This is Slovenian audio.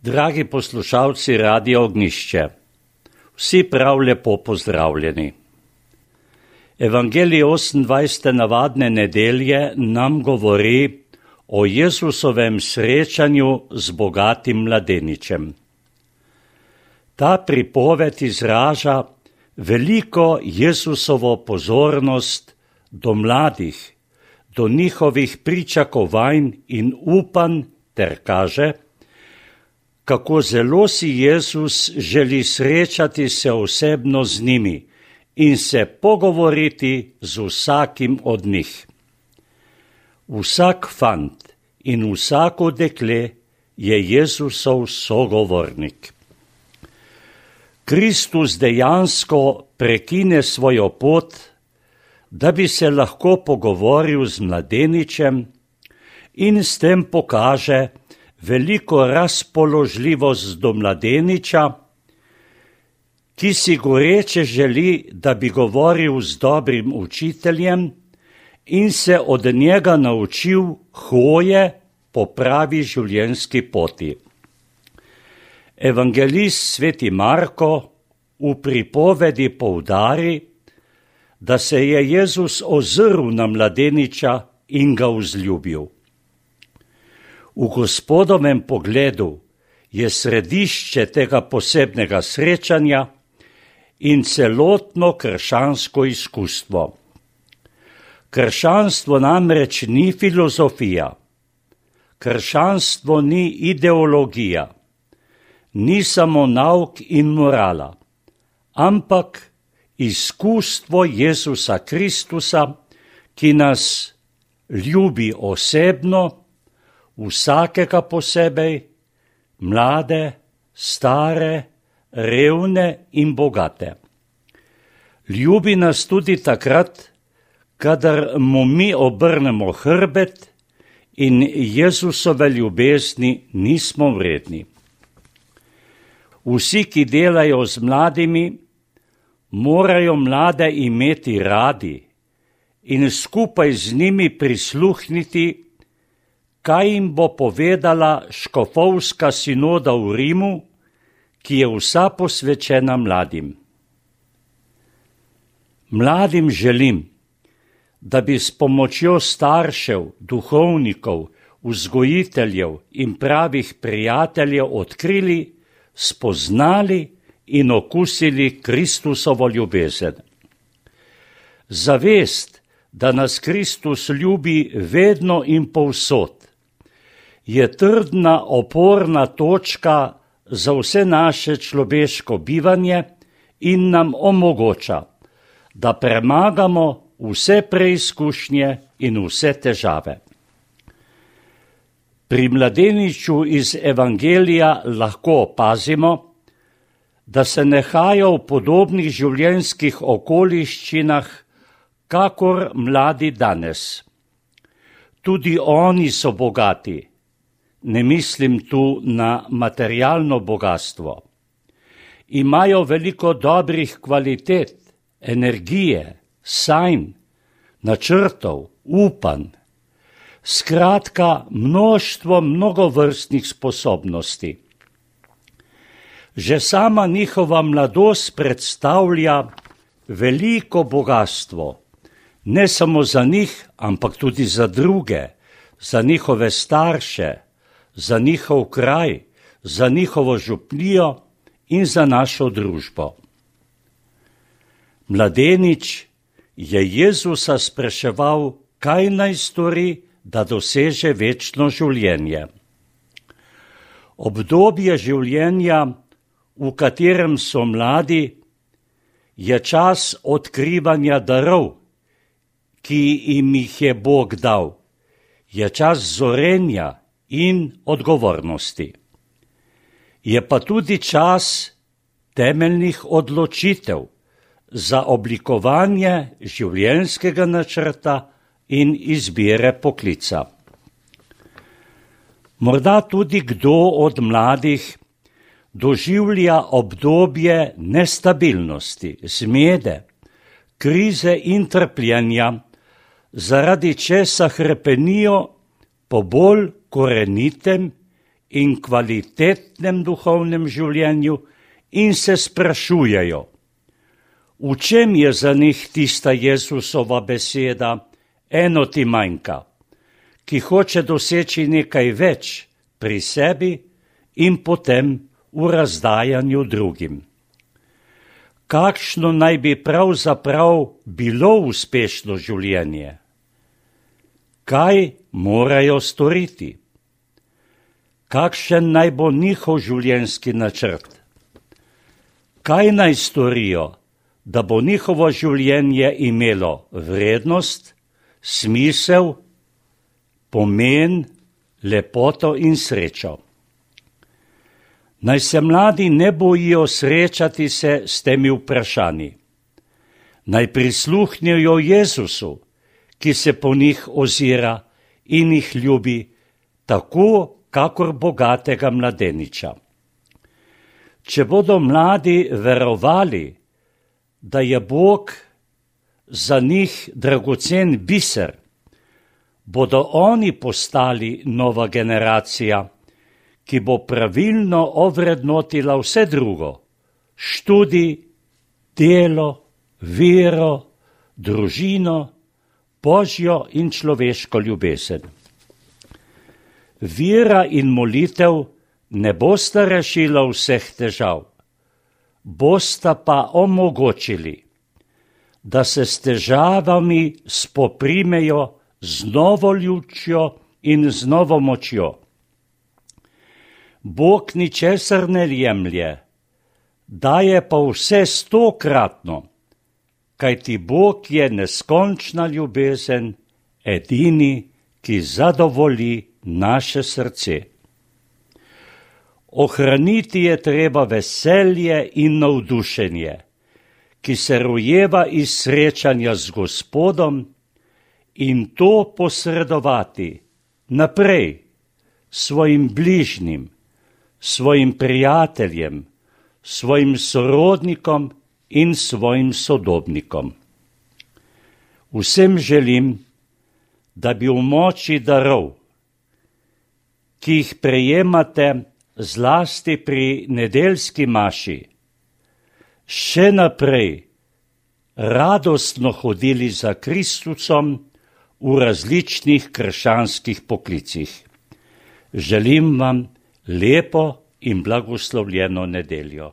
Dragi poslušalci Radia Ognjišče, vsi prav lepo pozdravljeni. Evangelij 28. navadne nedelje nam govori o Jezusovem srečanju z bogatim mladeničem. Ta pripoved izraža veliko Jezusovo pozornost do mladih, do njihovih pričakovanj in upanj ter kaže, kako zelo si Jezus želi srečati se osebno z njimi in se pogovoriti z vsakim od njih. Vsak fant in vsako dekle je Jezusov sogovornik. Kristus dejansko prekine svojo pot, da bi se lahko pogovoril z mladeničem in s tem pokaže veliko razpoložljivost do mladeniča, ki si goreče želi, da bi govoril z dobrim učiteljem in se od njega naučil hoje po pravi življenjski poti. Evangelist sveti Marko v pripovedi poudari, da se je Jezus ozrl na mladeniča in ga vzljubil. V Gospodovem pogledu je središče tega posebnega srečanja in celotno krščansko izkustvo. Krščanstvo namreč ni filozofija, krščanstvo ni ideologija, ni samo nauk in morala, ampak izkustvo Jezusa Kristusa, ki nas ljubi osebno, vsakega posebej, mlade, stare, revne in bogate. Ljubi nas tudi takrat, kadar mu mi obrnemo hrbet in Jezusove ljubezni nismo vredni. Vsi, ki delajo z mladimi, morajo mlade imeti radi in skupaj z njimi prisluhniti, kaj jim bo povedala škofovska sinoda v Rimu, ki je vsa posvečena mladim. Mladim želim, da bi s pomočjo staršev, duhovnikov, vzgojiteljev in pravih prijateljev odkrili, spoznali in okusili Kristusovo ljubezen. Zavest, da nas Kristus ljubi vedno in povsod, je trdna oporna točka za vse naše človeško bivanje in nam omogoča, da premagamo vse preizkušnje in vse težave. Pri mladeniču iz Evangelija lahko opazimo, da se nehajo v podobnih življenjskih okoliščinah, kakor mladi danes. Tudi oni so bogati. Ne mislim tu na materialno bogatstvo. Imajo veliko dobrih kvalitet, energije, sanj, načrtov, upanj. Skratka, mnoštvo mnogovrstnih sposobnosti. Že sama njihova mladost predstavlja veliko bogatstvo, ne samo za njih, ampak tudi za druge, za njihove starše, za njihov kraj, za njihovo župnijo in za našo družbo. Mladenič je Jezusa spraševal, kaj naj stori, da doseže večno življenje. Obdobje življenja, v katerem so mladi, je čas odkrivanja darov, ki jim jih je Bog dal, je čas zorenja in odgovornosti. Je pa tudi čas temeljnih odločitev za oblikovanje življenjskega načrta in izbire poklica. Morda tudi kdo od mladih doživlja obdobje nestabilnosti, zmede, krize in trpljenja, zaradi česa hrepenijo po bolj korenitem in kvalitetnem duhovnem življenju in se sprašujejo, v čem je za njih tista Jezusova beseda, eno ti manjka, ki hoče doseči nekaj več pri sebi in potem v razdajanju drugim. Kakšno naj bi pravzaprav bilo uspešno življenje? Kaj morajo storiti? Kakšen naj bo njihov življenjski načrt? Kaj naj storijo, da bo njihovo življenje imelo vrednost, smisel, pomen, lepoto in srečo? Naj se mladi ne bojijo srečati se s temi vprašanji. Naj prisluhnejo Jezusu, ki se po njih ozira in jih ljubi, tako kakor bogatega mladeniča. Če bodo mladi verovali, da je Bog za njih dragocen biser, bodo oni postali nova generacija, ki bo pravilno ovrednotila vse drugo, študij, delo, vero, družino, Božjo in človeško ljubezen. Vera in molitev ne bosta rešila vseh težav, bosta pa omogočili, da se s težavami spoprimejo z novo ljudčjo in z novo močjo. Bog ničesar ne jemlje, daje pa vse 100-kratno, kajti Bog je neskončna ljubezen, edini, ki zadovolji naše srce. Ohraniti je treba veselje in navdušenje, ki se rojeva iz srečanja z Gospodom, in to posredovati naprej svojim bližnjim, svojim prijateljem, svojim sorodnikom in svojim sodobnikom. Vsem želim, da bi v moči darov, ki jih prejemate zlasti pri nedeljski maši, še naprej radostno hodili za Kristusom v različnih krščanskih poklicih. Želim vam lepo in blagoslovljeno nedeljo.